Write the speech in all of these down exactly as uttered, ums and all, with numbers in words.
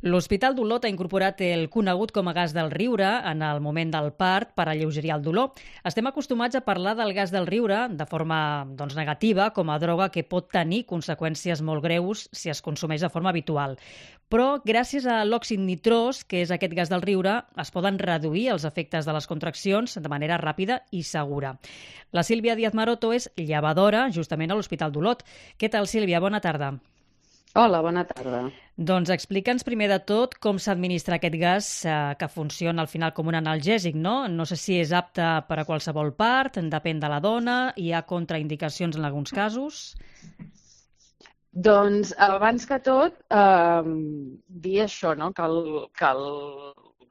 L'Hospital d'Olot ha incorporat el conegut com a gas del riure en el moment del part per alleugerir el dolor. Estem acostumats a parlar del gas del riure de forma doncs, negativa, com a droga que pot tenir conseqüències molt greus si es consumeix de forma habitual. Però gràcies a l'òxid nitrós, que és aquest gas del riure, es poden reduir els efectes de les contraccions de manera ràpida i segura. La Sílvia Díaz Maroto és llevadora justament a l'Hospital d'Olot. Què tal, Sílvia? Bona tarda. Hola, bona tarda. Doncs explica'ns primer de tot com s'administra aquest gas eh, que funciona al final com un analgèsic, no? No sé si és apte per a qualsevol part, depèn de la dona, hi ha contraindicacions en alguns casos. Doncs abans que tot, eh, dir això, no? que, el, que el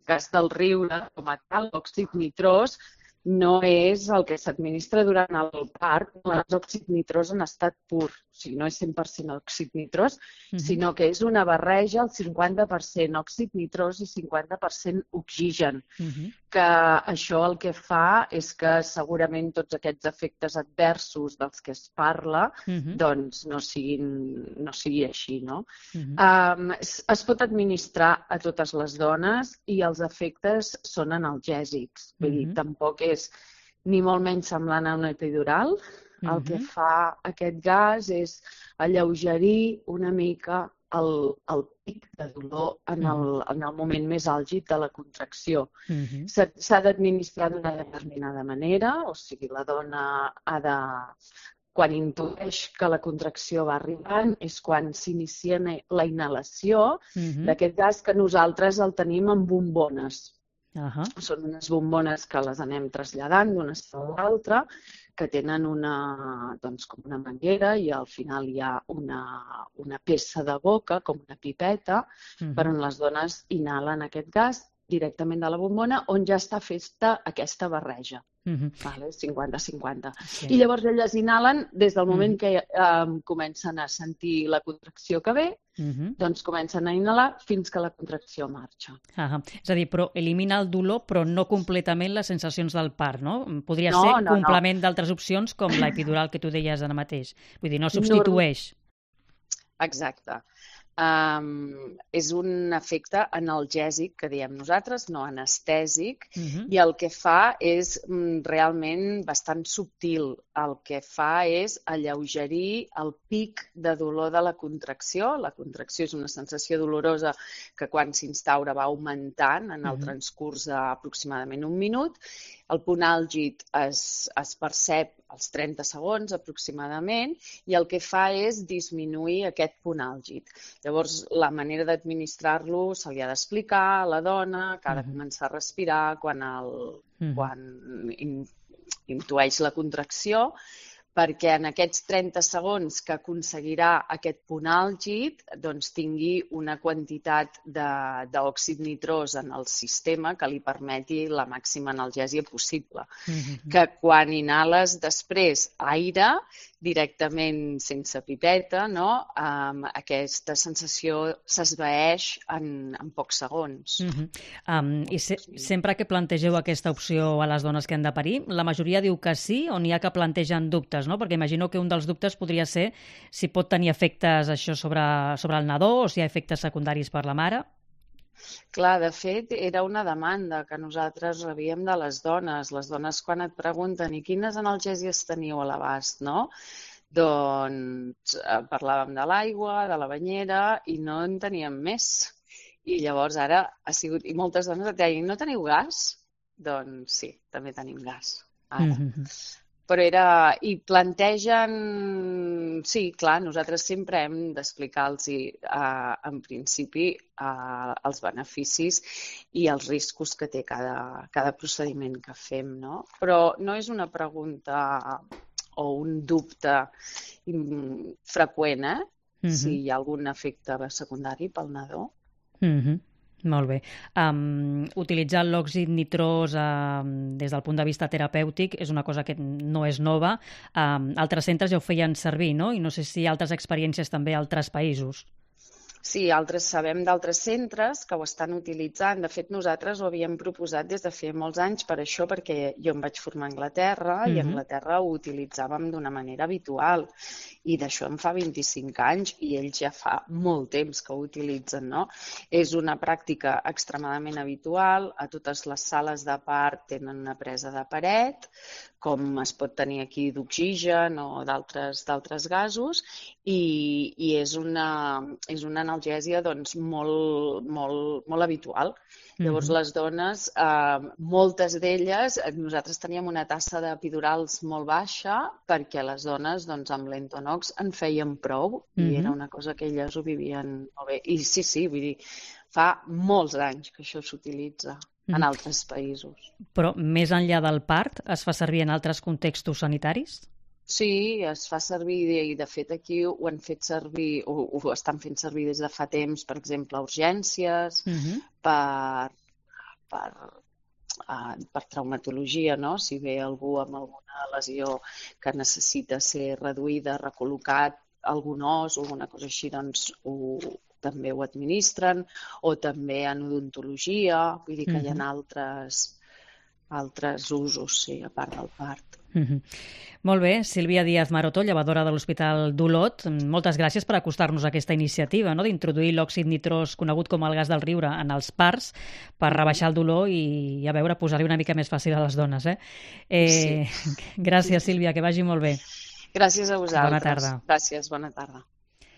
gas del riure, com a tal, l'òxid nitrós, no és el que s'administra durant el part, els òxid nitrós en estat pur. O sigui, no és cent per cent òxid nitrós, uh-huh. sinó que és una barreja, el cinquanta per cent òxid nitrós i cinquanta per cent oxigen. Uh-huh. Que això el que fa és que segurament tots aquests efectes adversos dels que es parla uh-huh. doncs no siguin, no sigui així, no? Uh-huh. Um, es, es pot administrar a totes les dones i els efectes són analgèsics. Vull uh-huh. dir, tampoc és ni molt menys semblant a una epidural. Uh-huh. El que fa aquest gas és alleugerir una mica el, el pic de dolor en el, en el moment més àlgid de la contracció. Uh-huh. S'ha d'administrar d'una determinada manera, o sigui, la dona ha de... Quan intueix que la contracció va arribant és quan s'inicia la inhalació uh-huh. d'aquest gas, que nosaltres el tenim en bombones. Uh-huh. Són unes bombones que les anem traslladant d'una a l'altra, que tenen una, doncs, com una manguera i al final hi ha una, una peça de boca, com una pipeta, uh-huh. per on les dones inhalen aquest gas directament de la bombona, on ja està feta aquesta barreja. Uh-huh. Vale? cinquanta cinquanta. Sí. I llavors elles inhalen des del moment uh-huh. que eh, comencen a sentir la contracció que ve, uh-huh. doncs comencen a inhalar fins que la contracció marxa. Uh-huh. És a dir, però elimina el dolor, però no completament les sensacions del part, no? Podria no, ser no, complement no. d'altres opcions, com l'epidural que tu deies ara mateix. Vull dir, no substitueix. No... Exacte. Um, és un efecte analgèsic, que diem nosaltres, no anestèsic, uh-huh. i el que fa és mm, realment bastant subtil. El que fa és alleugerir el pic de dolor de la contracció. La contracció és una sensació dolorosa que quan s'instaura va augmentant en el uh-huh. transcurs d'aproximadament un minut. El punt àlgid es, es percep als trenta segons aproximadament i el que fa és disminuir aquest punt àlgid. Llavors, la manera d'administrar-lo se li ha d'explicar a la dona, que ha de començar a respirar quan, el, mm. quan in, intueix la contracció, perquè en aquests trenta segons que aconseguirà aquest punt àlgid doncs tingui una quantitat d'òxid nitrós en el sistema que li permeti la màxima analgèsia possible. Mm-hmm. Que quan inhales després aire, directament sense pipeta, no? Um, aquesta sensació s'esvaeix en, en pocs segons. Mm-hmm. um, I se sempre que plantegeu aquesta opció a les dones que han de parir, la majoria diu que sí o n'hi ha que plantegen dubtes, no? Perquè imagino que un dels dubtes podria ser si pot tenir efectes això sobre, sobre el nadó o si hi ha efectes secundaris per la mare. Clar, de fet, era una demanda que nosaltres rebíem de les dones. Les dones quan et pregunten i quines analgèsies teniu a l'abast, no? Doncs eh, parlàvem de l'aigua, de la banyera i no en teníem més. I llavors ara ha sigut... I moltes dones et deien, no teniu gas? Doncs sí, també tenim gas. Ara. Mm-hmm. Però era... I plantegen... Sí, clar, nosaltres sempre hem d'explicar-los eh, en principi eh, els beneficis i els riscos que té cada, cada procediment que fem, no? Però no és una pregunta o un dubte freqüent, eh? Mm-hmm. Si hi ha algun efecte secundari pel nadó. Mm-hmm. Molt bé. Um, utilitzar l'òxid nitrós um, des del punt de vista terapèutic és una cosa que no és nova. Um, altres centres ja ho feien servir, no? I no sé si hi ha altres experiències també a altres països. Sí, altres sabem d'altres centres que ho estan utilitzant. De fet, nosaltres ho havíem proposat des de fa molts anys per això, perquè jo em vaig formar a Anglaterra i a Mhm. Anglaterra ho utilitzàvem d'una manera habitual. I d'això en fa vint-i-cinc anys i ells ja fa molt temps que ho utilitzen, no? És una pràctica extremadament habitual. A totes les sales de part tenen una presa de paret, com es pot tenir aquí d'oxigen o d'altres d'altres gasos, i, i és una, és una analgèsia doncs, molt, molt, molt habitual. Llavors, Mhm. les dones, eh, moltes d'elles, eh, nosaltres teníem una tassa d'epidurals molt baixa perquè les dones doncs, amb l'Entonox en feien prou i era Mhm. una cosa que elles ho vivien molt bé. I sí, sí, vull dir, fa molts anys que això s'utilitza en Mhm. altres països. Però més enllà del part, es fa servir en altres contextos sanitaris? Sí, es fa servir i de fet aquí ho han fet servir, ho, ho estan fent servir des de fa temps, per exemple, a urgències, Mhm. per, per, uh, per traumatologia, no? Si ve algú amb alguna lesió que necessita ser reduïda, recol·locat, algun os o alguna cosa així, doncs ho, també ho administren, o també en odontologia, vull dir que hi Mhm. ha altres, altres usos, sí, a part del part. Mhm. Molt bé, Sílvia Díaz Maroto, llevadora de l'Hospital d'Olot, moltes gràcies per acostar-nos a aquesta iniciativa, no?, d'introduir l'òxid nitrós, conegut com el gas del riure, en els parts per rebaixar el dolor i, a veure, posar-li una mica més fàcil a les dones. Eh? Eh, Sí. gràcies, Sílvia, que vagi molt bé. Gràcies a vosaltres. Bona tarda. Gràcies, bona tarda.